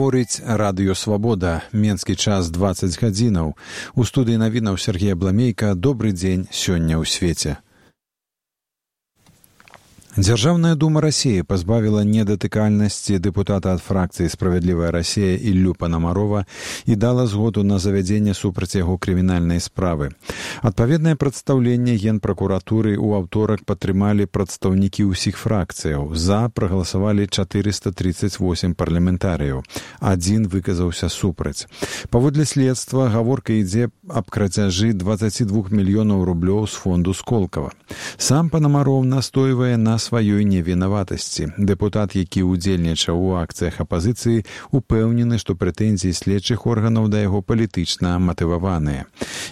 Гаворыць радыё «Свабода». Менскі час 20 гадзінаў. У студыі навінаў Сергей Бламейка. Добры дзень сёння ў свеце. Дзяржаўная дума России пазбавіла недатыкальнасці дэпутата ад фракцыі «Справядлівая Россия» Іллю Панамарова і дала згоду на завядзенне супраць яго крымінальнай справы. Адпаведнае прадстаўленне Генпракуратуры ў аўторак падтрымалі прадстаўнікі ўсіх фракцыяў. За прагаласавалі 438 парламентарыяў. Адзін выказаўся супраць. Паводле следства, гаворка ідзе аб крацяжы 22 мільёнаў рублёў з фонду Сколково. Сам Панамаров настойвае на сваёй невінаватасці. Дэпутат, які ўдзельнічаў у акцыях апазіцыі, упэўнены, што прэтэнзіі следчых органаў да яго палітычна матываваныя.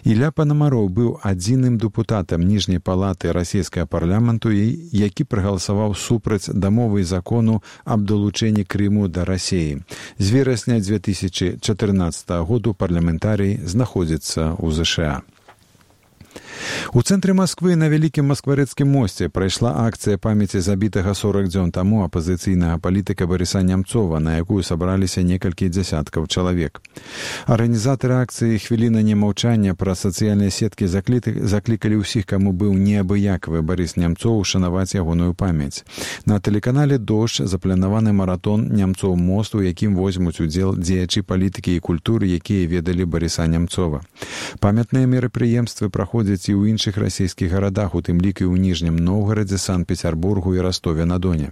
Ілля Панамаров быў адзіным дэпутатам ніжняй палаты расійскага парламенту, які прагаласаваў супраць дамовы і закону аб далучэнні Крыму да Расіі. З верасня 2014 году парламентарый знаходзіцца ў ЗША. У цэнтры Масквы на Вялікім Маскварэцкім мосце прайшла акцыя памяці забітага 40 дзён таму апазіцыйнага палітыка Барыса Нямцова, на якую сабраліся некалькі дзясяткаў чалавек. Арганізатары акцыі «Хвіліна немаўчання» праз сацыяльныя сеткі заклікалі ўсіх, каму быў неабыякавы Барыс Нямцоў, ушанаваць ягоную памяць. На тэлеканале «Дождж» запланаваны маратон «Нямцоў мост», у якім возьмуць удзел дзеячы палітыкі і культуры, якія ведалі Барыса Нямцова. Памятныя мерапрыемствы праходзяць і ў іншых расійскіх гарадах, у тым ліку і ў Ніжнім Новгарадзе, Санкт-Пецярбургу і Ростове-на-Доне.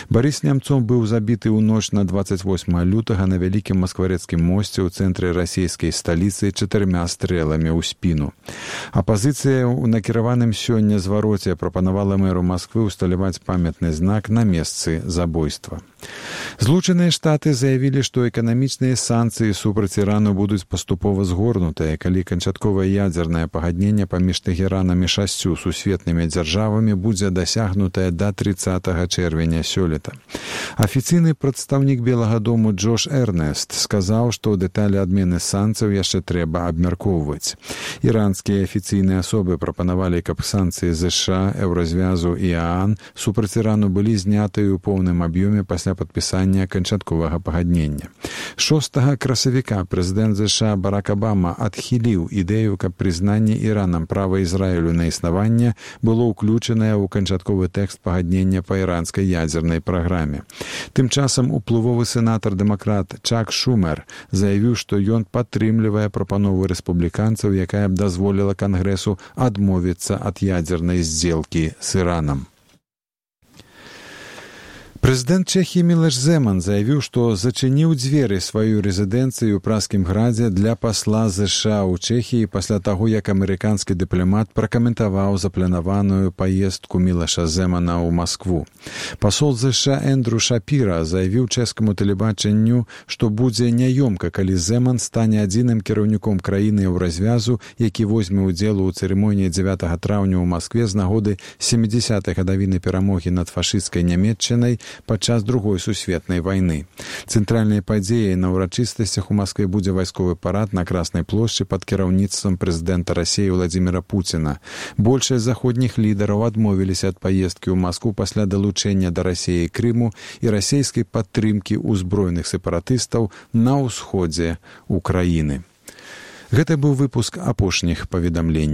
Барыс Нямцоў быў забіты ў ноч на 28 лютага на Вялікім Маскварэцкім мосце ў цэнтры расійскай сталіцы 4 стрэламі ў спіну. Апазіцыя ў накіраваным сёння звароце прапанавала мэру Масквы ўсталяваць памятны знак на месцы забойства. Злучаныя Штаты заявілі, што эканамічныя санкцыі супраць Ірану будуць паступова згорнутыя, калі канчатковае ядзернае пагадненне паміж Тэхеранам і 6 сусветнымі дзяржавамі будзе дасягнутае да 30 чэрвеня сёлета. Афіцыйны прадстаўнік Белага дому Джош Эрнест сказаў, што дэталі адмены санкцыяў яшчэ трэба абмяркоўваць. Іранскія афіцыйныя асобы прапанавалі, каб санкцыі ЗША, Еўразвязу і ААН супраць Ірану былі знятыя ў поўным аб'ёме пасля падпісання канчатковага пагаднення. 6 красавіка прэзідэнт ЗША Барак Абама адхіліў ідэю, каб прызнанне Іранам права Ізраілю на існаванне было ўключанае ў канчатковы тэкст пагаднення па іранскай ядзернай праграме. Тым часам уплывовы сенатар-дэмакрат Чак Шумер заявіў, што ён падтрымлівае прапанову рэспубліканцаў, якая б дазволіла Кангрэсу адмовіцца ад ядзернай здзелкі з Іранам. Прэзідэнт Чэхіі Мілош Земан заявіў, што зачыніў дзверы сваёй рэзідэнцыі ў Пражскім градзе для пасла ЗША ў Чэхіі пасля таго, як амерыканскі дыпламат пракаментаваў запланаваную паездку Мілоша Земана ў Маскву. Пасол ЗША Эндрю Шапіра заявіў чэшскаму тэлебачанню, што будзе няёмка, калі Земан стане адзіным кіраўніком краіны Еўразвязу, які возьме ўдзел у цырымоніі 9 траўня ў Маскве з нагоды 70-й гадавіны перамогі над фашысцкай Нямецчынай падчас Другой сусветнай вайны. Цэнтральнай падзеяй на ўрачыстасцях у Маскве будзе вайсковы парад на Краснай плошчы пад кіраўніцтвам прэзідэнта Расіі Владзіміра Пуціна. Большасць заходніх лідараў адмовіліся ад паездкі ў Маскву пасля далучэння да Расіі Крыму і расійскай падтрымкі ўзброеных сепаратыстаў на ўсходзе ўкраіны. Гэта быў выпуск апошніх паведамленняў.